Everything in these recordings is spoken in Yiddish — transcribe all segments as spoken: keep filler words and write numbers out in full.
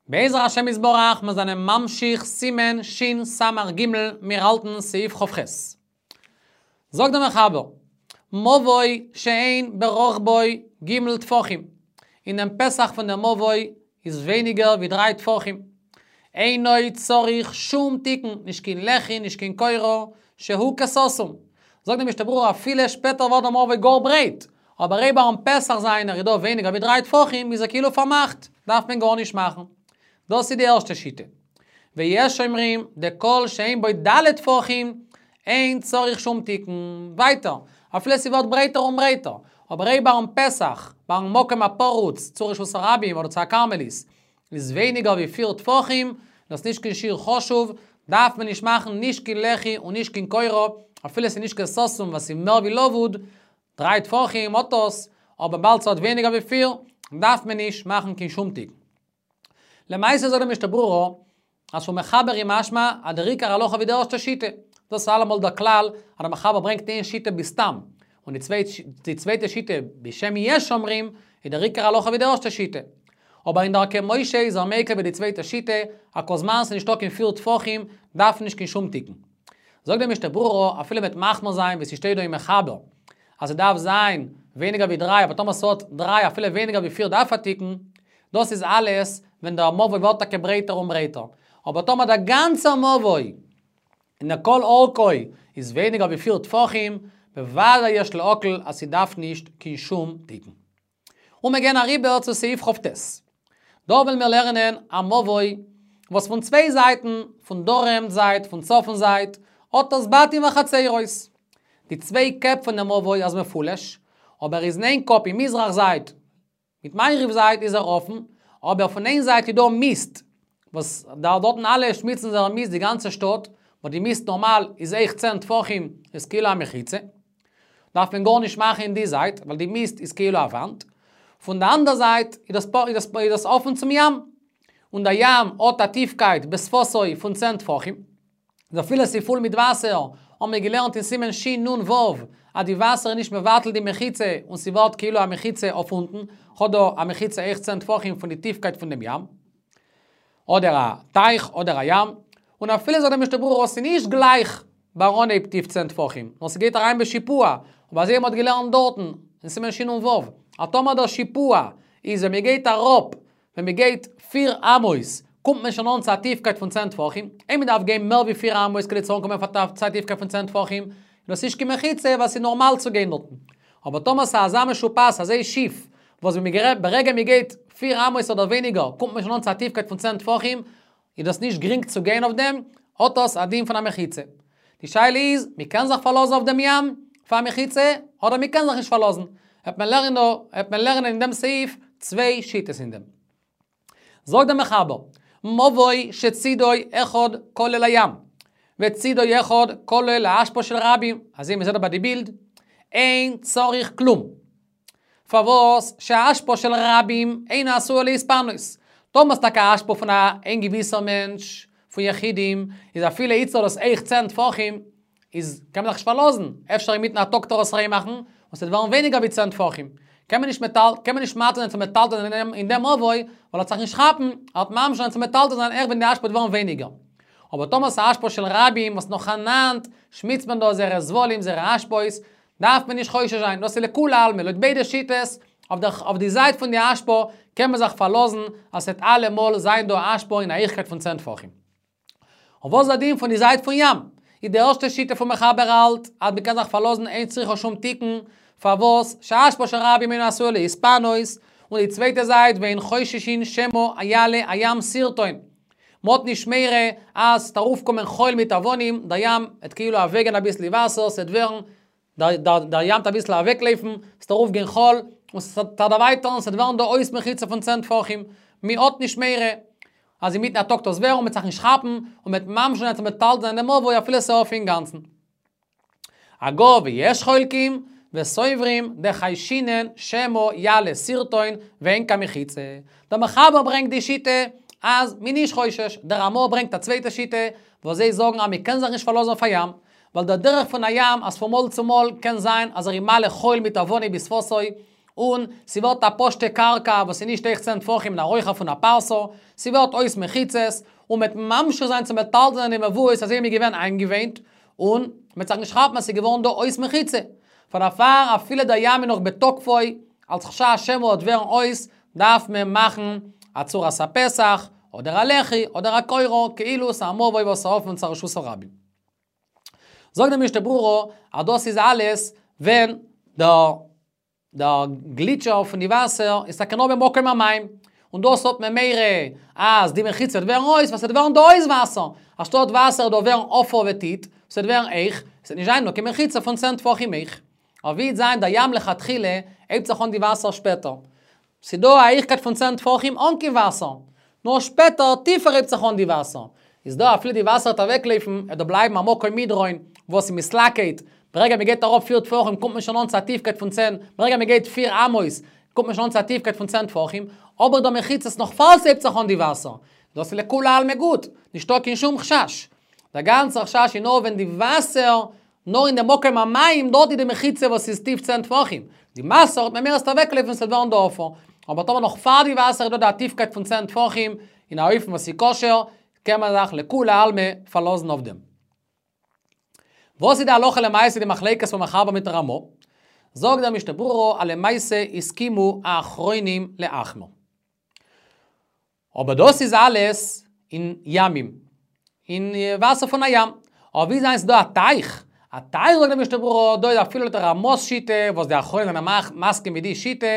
בעזר השם יתברך, מיר זענען ממשיך סימן שין סמך גימל, מיר האלטן סעיף כף חית. זאגט דער מחבר, מבוי שאין ברחבו ג' טפחים. אין דעם פתח פון דעם מבוי איז ווייניגער ווי דריי טפחים. אינו צריך שום תיקון, נישט קיין לחי, נישט קיין קורה, שהוא כסתום. זאגט דער משנה ברורה, אפילו שפעטער ווערט דער מבוי גאר ברייט, אבער אויב ביים פתח זיינער איז דא ווייניגער ווי דריי טפחים, איז ער כאילו פארמאכט, דארף מען גארנישט מאכן. דאס איז די ערשטע שיטה. ויש אומרים, דכל שאין בו ד' טפחים, אין צריך שום תיקון. ווייטער, אפילו ס'ווערט ברייטער און ברייטער, אבער אויב ביים פתח, ביים מקום הפרוץ, צו רשות הרבים אדער צו א כרמלית, איז ווייניגער ווי פיר טפחים, דאס נישט קיין שיעור חשוב, דארף מען נישט מאכן נישט קיין לחי און נישט קיין קורה, אפילו ס'איז נישט קיין סתום וואס איז מער ווי לבוד, דריי טפחים האט דאס, אבער באלד ס'האט ווייניגער ווי פיר, דארף מען נישט מאכן קיין שום תיקון. למעשה זאגט דער משנה ברורה, אז פון מחבר איז משמע, אז דער עיקר הלכה ווי די ערשטע שיטה. דאס איז אלעמאל דער כלל, אז דער מחבר ברענגט איין שיטה בסתם, און די צווייטע שיטה בשם יש אומרים, איז דער עיקר הלכה ווי די ערשטע שיטה. אבער אין דרכי משה איז ער מיקל ווי די צווייטע שיטה, אז כל זמן ס'איז נישטא קיין פיר טפחים, דארף מען נישט קיין שום תיקון. זאגט דער משנה ברורה, אפילו מ'וועט מחמיר זיין ווי ס'שטייט דא אין מחבר, אז ס'דארף זיין ווייניגער ווי דריי, אבער טאמער ס'האט דריי אפילו ווייניגער ווי פיר דארף א תיקון, דאס איז אלעס ווען דער מבוי ווערט טאקע ברייטער און ברייטער. אבער טאמער דער גאנצער מבוי אין דער כל אורכו איז ווייניגער ווי פיר טפחים, בוודאי יש להקל אז ס'דארף נישט קיין שום תיקון. און מיר גייען אריבער צו סעיף כ"ט. דא וועלן מיר לערנען א מבוי וואס פון צוויי זייטן, פון דרום זייט, פון צפון זייט, האט עס בתים וחצרות. די צוויי קעפ פון דעם מבוי איז מפולש, אבער איז אין איין קאפ אין מזרח זייט, מיט מערב זייט איז ער אפן, אבער פון איין זייט איז דא מיסט, וואס דארטן אלע שמיצן זייער מיסט די גאנצע שטאט, וואס די מיסט נארמאל איז אויך צען טפחים, איז כאילו א מחיצה. דארף מען גארנישט מאכן אין די זייט, ווייל די מיסט איז כאילו א וואנט. פון די אנדער זייט איז דאס איז דאס אפן צום ים, און דער ים האט א טיפקייט בשפתו פון צען טפחים. איז אפילו ס'איז פול מיט וואסער, האבן מיר געלערנט אין סימן שין נון וו, אז די וואסער איז נישט מבטל די מחיצה און ס'ווערט כאילו א מחיצה אויף אונטן, כ'האב דא א מחיצה אויך צען טפחים פון די טיפקייט פון דעם ים, אדער א טייך אדער א ים, און אפילו זאגט דער משנה ברורה ס'איז נישט גלייך ביי אנהייב טיף צען טפחים, נאר ס'גייט אריין בשיפוע, אבער אזוי ווי מ'האט געלערנט דארטן אין סימן שין נון וו, אז טאמער דער שיפוע איז ווען מ'גייט אראפ, ווען מ'גייט פיר אמות, קומט מען שוין אן צו א טיפקייט פון צען טפחים, אויב מ'דארף גיין מער ווי פיר אמות כדי צו אנקומען צו א טיפקייט פון צען טפחים, איז דאס נישט קיין מחיצה ווייל ס'איז נארמאל צו גיין דארטן. אבער טאמער ס'איז אזא משופעת, אזוי שיף, וואס ווען מ'גע ברגע מ'גייט פיר אמות אדער ווייניגער, קומט מען שוין אן צו א טיפקייט פון צען טפחים, איז דאס נישט גרינג צו גיין אויף דעם, האט דאס א דין פון א מחיצה. די שאלה איז, מ'קען זיך פארלאזן אויף דעם ים פאר א מחיצה, אדער מ'קען זיך נישט פארלאזן. וועט מען לערנען דא, וועט מען לערנען אין דעם סעיף צוויי שיטות אין דעם. זאגט דער מחבר, מבוי שצידו אחד כולל הים, וצידו אחד כולל האשפה של רבים, אזוי מ'זעט דא ביי די בילד, אין צריך כלום. פארוואס שהאשפה של רבים אינה עשויה להתפנות. טאמער ס'איז טאקע אשפה פון א איין געוויסער מענטש, פון יחידים, איז אפילו איצטער דאס אויך צען טפחים, איז קען מען זיך נישט פארלאזן, אפשר אינמיטן א טאג וועט ער עס ריין מאכן, און ס'וועט ווערן ווייניגער ווי צען טפחים. קען מען נישט מטל, קען מען נישט מתיר זיין צו מטלטל זיין אין דעם מבוי, ווייל ער וועט זיך נישט כאפן, ער וועט ממשיך זיין צו מטלטל זיין אויך ווען די אשפה וועט ווערן ווייניגער. אבער טאמער ס'איז אשפה של רבים וואס נאכאנאנד שמיצט מען דא זייערע זבלים, זייערע אשפות, דארף מען נישט חושש זיין, דאס איז לכולי עלמא, לויט ביידע שיטות, אויף די זייט פון די אשפה קען מען זיך פארלאזן אז ס'וועט אלעמאל זיין דא אשפה אין א הייכקייט פון צען טפחים. און וואס איז די דין פון די זייט פון ים? איז די ערשטע שיטה פון מחבר האלט אז מ'קען זיך פארלאזן אין צריכה שום תיקון, פארוואס שהאשפה של רבים אינה עשויה להתפנות, און די צווייטע זייט ואין חוששין שמא יעלה הים שרטון. מ'האט נישט מורא אז ס'וועט ארויפקומען חול מיט אבנים, דער ים וועט כאילו אוועקגיין אביסל די וואסער, ס'וועט ווערן, דער ים וועט אביסל אוועקלויפן, ס'וועט ארויפגיין חול, און ס'וועט דערווייטערן, ס'וועט ווערן דא אויס מחיצה פון צען טפחים, מ'האט נישט מורא אז אינמיטן א טאג וועט עס ווערן, מ'וועט זיך נישט כאפן, און מ'וועט ממשיך זיין צו מטלטל זיין דעם מבוי אפילו ס'איז אויף אינגאנצן. אגב, ויש חולקים וסוברים דחיישינן שמא יעלה שרטון ואין כאן מחיצה. דער מחבר ברענגט די שיטה אז מ'איז נישט חושש, דער רמא ברענגט א צווייטע שיטה וואס זיי זאגן אז מ'קען זיך נישט פארלאזן אויף א ים, ווייל דער דרך פון א ים אז פון מאל צו מאל קען זיין אז ער איז מעלה חול מיט אבנים בשפתו, און ס'ווערט א פשוטע קרקע וואס איז נישט הויך צען טפחים נאר הויכער פון א פרסה, ס'ווערט אויס מחיצות, און מ'וועט ממשיך זיין צו מטלטל זיין די מבואות אזוי ווי מ'איז געווען איינגעוואינט, און מ'וועט זיך נישט כאפן אז ס'איז געווארן דא אויס מחיצה. פאר דערפאר אפילו דער ים איז נאך בתוקפו, אלס חשש שמא וועט ווערן אויס, דארף מען מאכן א צורת הפתח, אדער א לחי, אדער א קורה, כאילו ס'איז א מבוי וואס איז אפן צו רשות הרבים. זאגט די משנה ברורה אז דאס איז אלעס ווען דער דער גליטשער פון די וואסער איז טאקע נאר במקום המים, און דאס האט מען מורא אז די מחיצה וועט ווערן אויס, ווייל ס'וועט ווערן דא אויס וואסער, אנשטאט וואסער דא ווערן עפר וטיט, ס'וועט ווערן הויך, ס'וועט נישט זיין נאר קיין מחיצה פון צען טפחים הויך. אבער ווי וועט זיין דער ים לכתחילה הייבט זיך אן די וואסער שפעטער. ס'דא א הייכקייט פון צען טפחים אן קיין וואסער. נאר שפעטער טיפער הייבט זיך אן די וואסער. איז דא אפילו די וואסער וועט אוועקלויפן, וועט דא בלייבן א מקום מדרון וואס איז מתלקט, ברגע מען גייט אראפ פיר טפחים קומט מען שוין אן צו א טיפקייט פון צען, ברגע מען גייט פיר אמות קומט מען שוין אן צו א טיפקייט פון צען טפחים, אבער דער מחיצות נאך פאר ס'הייבט זיך אן די וואסער. דאס איז לכולי עלמא גוט, נישטא קיין שום חשש. דער גאנצער חשש איז נאר ווען די וואסער, נאר אין די מקום המים, דארט איז די מחיצה וואס איז טיף צען טפחים. די וואסער האט מען מורא ס'וועט אוועקלויפן ס'וועט ווערן דא עפר. אבער טאמער נאך פאר די וואסער איז דא די טיפקייט פון צען טפחים, אין א אופן וואס איז כשר, קען מען זיך לכולי עלמא פארלאזן אויף דעם. וואס איז די הלכה למעשה די מחלוקת פון מחבר מיט רמא? זאגט דער משנה ברורה אז למעשה הסכימו האחרונים להחמיר. אבער דאס איז אלעס אין ימים, אין וואסער פון א ים. אבער ווי זיין ס'דא א טייך, א טייך זאגט דער משנה ברורה, דא איז אפילו לויט רמא'ס שיטה, וואס די אחרונים זענען מסכים מיט די שיטה,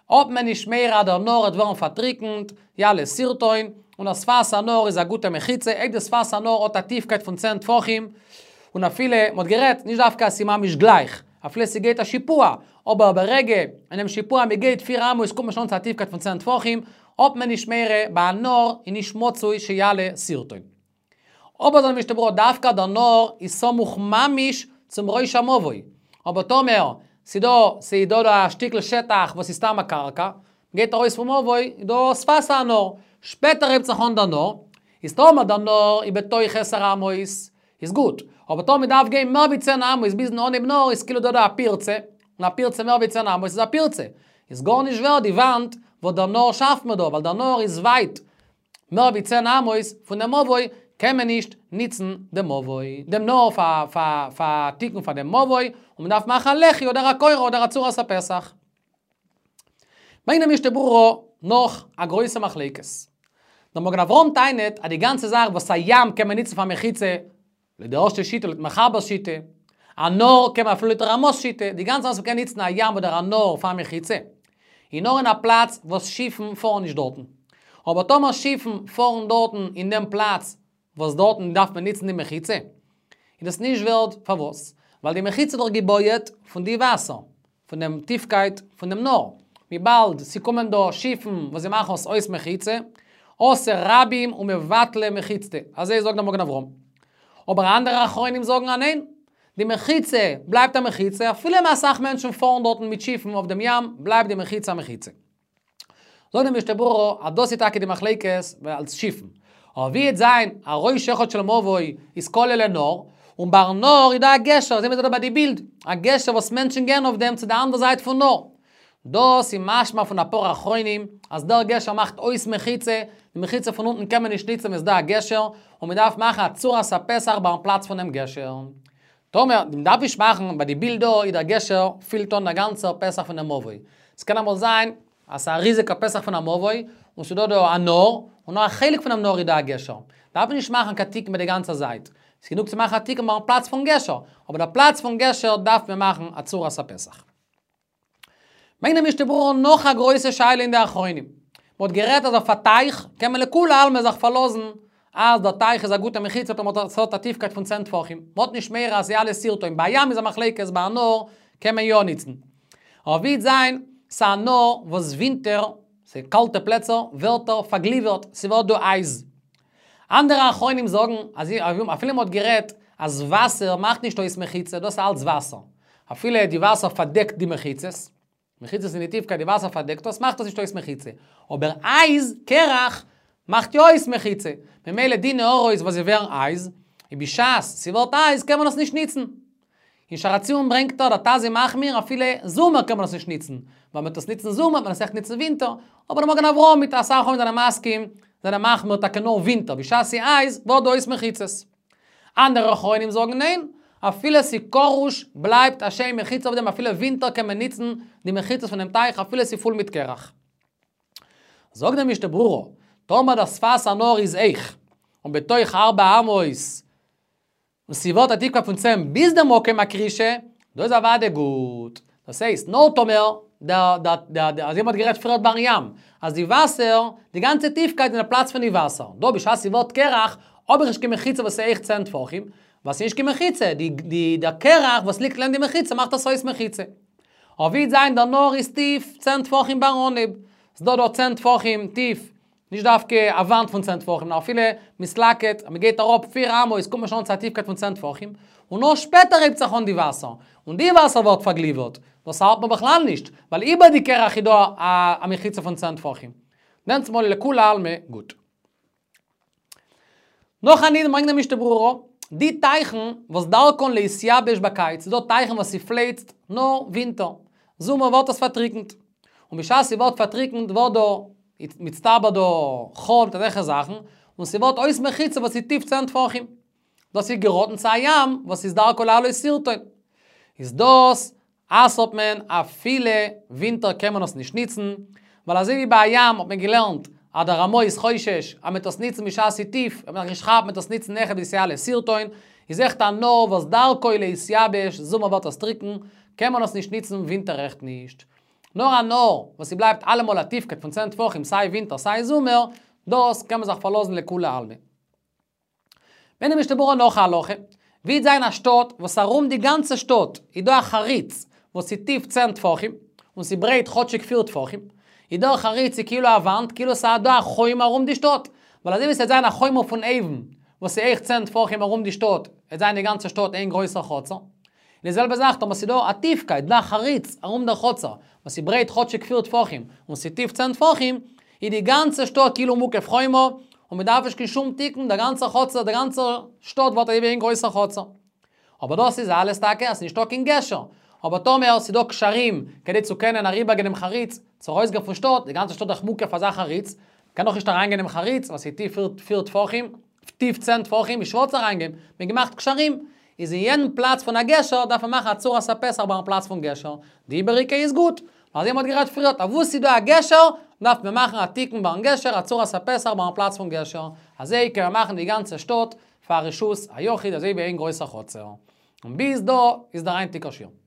האט מען נישט מורא אז דער נהר וועט ווערן פארטריקנט, יעלה שרטון, און א שפת הנהר איז א גוטע מחיצה, אויב די שפת הנהר האט א טיפקייט פון צען טפחים, און אפילו, מ'האט גערעדט, נישט דווקא אז ס'איז ממש גלייך, אפילו ס'גייט א שיפוע, אבער ברגע אינעם שיפוע מ'גייט פיר אמות קומט מען שוין אן צו א טיפקייט פון צען טפחים, האט מען נישט מורא ביי א נהר איז נישט מצוי שיעלה שרטון. אבער זאגט די משנה ברורה דווקא דער נהר איז סמוך ממש צום ראש המבוי, אבער טאמער ס'דא ס'איז דא דא א שטיקל שטח וואס איז סתם א קרקע, מ'גייט ארויס פון מבוי איז דא שפת הנהר, שפעטער הייבט זיך אן דער נהר, איז טאמער דער נהר איז בתוך עשר אמות איז גוט, אבער טאמער מ'דארף גיין מער ווי צען אמות ביזן אנהייב נהר איז כאילו דא דא א פירצה, און א פירצה מער ווי צען אמות איז א פירצה, איז גארנישט ווערד די וואנט וואס דער נהר שאפט מיר דא, ווייל דער נהר איז ווייט מער ווי צען אמות פון דעם מבוי, קען מען נישט ניצן דעם מבוי, דעם נהר פאר פאר פאר תיקון פאר דעם מבוי, און מען דארף מאכן א לחי אדער א קורה אדער א צורת הפתח. ברענגט דער משנה ברורה נאך א גרויסע מחלוקת. דער מגן אברהם טענה'ט אז די גאנצע זאך וואס א ים קען מען ניצן פאר מחיצה, לויט די ערשטע שיטה, לויט מחבר'ס שיטה, א נהר קען מען אפילו לויט רמא'ס שיטה, די גאנצע זאך וואס מ'קען ניצן א ים אדער א נהר פאר מחיצה, איז נאר אין א פלאץ וואס שיפן פארן נישט דארטן. אבער טאמער שיפן פארן דארטן אין דעם פלאץ וואס דארטן דארף מען ניצן די מחיצה, איז דאס נישט ווערד, פארוואס? ווייל די מחיצה איז דאך געבויעט פון די וואסער, פון דעם טיפקייט פון דעם נהר. וויבאלד ס'קומען דא שיפן וואס זיי מאכן עס אויס מחיצה, אתי רבים ומבטלי מחיצתא, אזוי זאגט דער מגן אברהם. אבער אנדערע אחרונים זאגן אז ניין, די מחיצה בלייבט א מחיצה, אפילו ווען אסאך מענטשן פארן דארטן מיט שיפן אויף דעם ים, בלייבט די מחיצה א מחיצה. זאגט דער משנה ברורה אז דאס איז טאקע די מחלוקת אלס שיפן. אבער ווי וועט זיין א ראש אחד של מבוי איז כולל לנהר, און ביים נהר איז דא א גשר, זעהן מיר דא ביי די בילד, א גשר וואס מענטשן גייען אויף דעם צו די אנדערע זייט פון נהר. דאס איז משמע פון אפאר אחרונים אז דער גשר מאכט אויס מחיצה, די מחיצה פון אונטן קען מען נישט ניצן ווען ס'איז דא א גשר, און מען דארף מאכן א צורת הפתח ביים פלאץ פונעם גשר. טאמער, מען דארף נישט מאכן, ביי די בילד דא איז דער גשר פילט אן דער גאנצער פתח פונעם מבוי. ס'קען אמאל זיין אז ס'איז א ריזיגע פתח פון א מבוי, און ס'איז דא דא א נהר, און נאר א חלק פונעם נהר איז דא א גשר. דארף מען נישט מאכן קיין תיקון ביי די גאנצע זייט. ס'איז גענוג צו מאכן א תיקון ביים פלאץ פון גשר, אבער דער פלאץ פון גשר דארף מען מאכן א צורת הפתח. ברענגט דער משנה ברורה נאך א גרויסע שאלה אין די אחרונים. מ'האט גערעדט אז אויף א טייך קען מען לכולי עלמא זיך פארלאזן אז דער טייך איז א גוטע מחיצה טאמער ס'האט א טיפקייט פון צען טפחים. מ'האט נישט מורא אז יעלה שרטון. ביי א ים איז א מחלוקת, ביי א נהר קען מען יא ניצן. אבער ווי וועט זיין ס'א נהר וואס ווינטער, ס'איז קאלטע פלעצער, ווערט ער פארגליווערט, ס'ווערט דא אייז. אנדערע אחרונים זאגן אז אפילו מ'האט גערעדט אז וואסער מאכט נישט אויס מחיצה, דאס איז אלץ וואסער. אפילו די וואסער פארדעקט די מחיצות, מחיצות אין די טיפקייט די וואסער פארדעקט דאס, מאכט דאס נישט אויס מחיצה. אבער אייז, קרח, מאכט יא אויס מחיצה. ממילא די נהרות וואס זיי ווערן אייז, און בשעת ס'ווערט אייז קען מען עס נישט ניצן. אין שער הציון ברענגט ער, דער ט"ז איז מחמיר, אפילו זומער קען מען עס נישט ניצן. ווייל מ'וועט עס ניצן זומער, מען עס עכט ניצן ווינטער. אבער דער מגן אברהם מיט אסאך אחרונים זענען מסכים, זענען מחמיר טאקע נאר ווינטער, בשעת ס'איז אייז, ווערט דא אויס מחיצות. אנדערע אחרונים זאגן ניין, אפילו ס'איז קרוש, בלייבט א שם מחיצה אויף דעם, אפילו ווינטער קען מען ניצן די מחיצות פון דעם טייך, אפילו ס'איז פול מיט קרח. זאגט דער משנה ברורה, טאמער דער שפת הנהר איז הויך, און בתוך ארבע אמות, און ס'ווערט א טיפקייט פון צען ביז דעם מקום הקרישה, דא איז אוודאי גוט. דאס הייסט, נאר טאמער, דער, דער, דער, דער, אזוי מ'האט גערעדט פריער ביים ים, אז די וואסער, די גאנצע טיפקייט אין דער פלאץ פון די וואסער. דא בשעת ס'ווערט קרח, האב איך נישט קיין מחיצה וואס איז הויך צען טפחים, ווייל ס'איז נישט קיין מחיצה, די, די, דער קרח וואס ליגט לעבן די מחיצה מאכט עס אויס מחיצה. אבער ווי זיין דער נהר איז טיף צען טפחים ביים אנהייב. ס'דא דא צען טפחים טיף, נישט דווקא א וואנט פון צען טפחים, נאר אפילו מסלקט, אז מ'גייט אראפ פיר אמות, קומט מען שוין צו א טיפקייט פון צען טפחים, און נאר שפעטער הייבט זיך אן די וואסער, און די וואסער ווערט פארגליווערט. דאס האלט מען בכלל נישט, ווייל איבער די קרח איז דא א מחיצה פון צען טפחים. דענסטמאל לכולי עלמא גוט. נאך א נידון ברענגט דער משנה ברורה, די טייכן וואס דרכן להתייבש בקיץ, ס'דא טייכן וואס ס'פלייצט נאר ווינטער, זומער ווערט עס פארטריקנט. און בשעת ס'ווערט פארטריקנט ווערט דא מצטבר דא חול מיט אזעלכע זאכן, און ס'ווערט אויס מחיצה וואס איז טיף צען טפחים. דאס איז געראטן צו א ים וואס איז דרכו לעלות שרטון. איז דאס אסר'ט מען אפילו ווינטער קען מען עס נישט ניצן, ווייל אזוי ווי ביי א ים האט מען געלערנט אז דער רמ"א איז חושש אז מ'וועט עס ניצן בשעת ס'איז טיף, וועט מען זיך נישט כאפן מ'וועט עס ניצן נאכער ווי ס'יעלה שרטון, איז אויכעט א נהר וואס דרכו להתייבש, זומער ווערט עס טריקן, קען מען עס נישט ניצן ווינטער עכט נישט. נאר א נהר וואס ס'בלייבט אלעמאל א טיפקייט פון צען טפחים סיי ווינטער סיי זומער, דאס קען מען זיך פארלאזן לכולי עלמא. ברענגט דער משנה ברורה נאך א הלכה, ווי זיין א שטאט וואס ארום די גאנצע שטאט איז דא א חריץ וואס איז טיף צען טפחים, און ס'ברייט כאטשיג פיר טפחים, איז דער חריץ איז כאילו א וואנט, כאילו ס'איז דא א חומה ארום די שטאט, ווייל אזוי ווי ס'וועט זיין א חומה פון אויבן, וואס איז הויך צען טפחים ארום די שטאט, וועט זיין די גאנצע שטאט איין גרויסער חצר. און די זעלבע זאך טאמער ס'איז דא א טיפקייט, דא א חריץ ארום דער חצר, וואס איז ברייט כאטשיג פיר טפחים, און ס'איז טיף צען טפחים, איז די גאנצע שטאט כאילו מוקף חומה, און מ'דארף נישט קיין שום תיקון, דער גאנצער חצר, דער גאנצער שטאט ווערט אזוי ווי איין גרויסער חצר. אבער דאס איז אלעס טאקע אז ס'איז נישטא קיין גשר. אבער טאמער ס'איז דא גשרים כדי צו קענען אריבערגיין דעם חריץ, צו ארויסגיין פון שטאט, די גאנצע שטאט איז דאך מוקף אזא חריץ, מ'קען דאך נישט אריינגיין אינעם חריץ, ווייל ס'איז טיף פיר פיר טפחים, טיף צען טפחים, איז שווער צו אריינגיין, מ'האט געמאכט גשרים, איז אין יעדן פלאץ פון א גשר דארף מען מאכן א צורת הפתח ביים פלאץ פון גשר, די איבעריגע איז גוט, אזוי מ'האט גערעדט פריערט, אוואו ס'איז דא א גשר, דארף מען מאכן א תיקון ביים גשר, א צורת הפתח ביים פלאץ פון גשר, אזוי קען מען מאכן די גאנצע שטאט פאר רשות היחיד אזוי ווי איין גרויסער חצר. און ביז דא איז דער היינטיגער שיעור.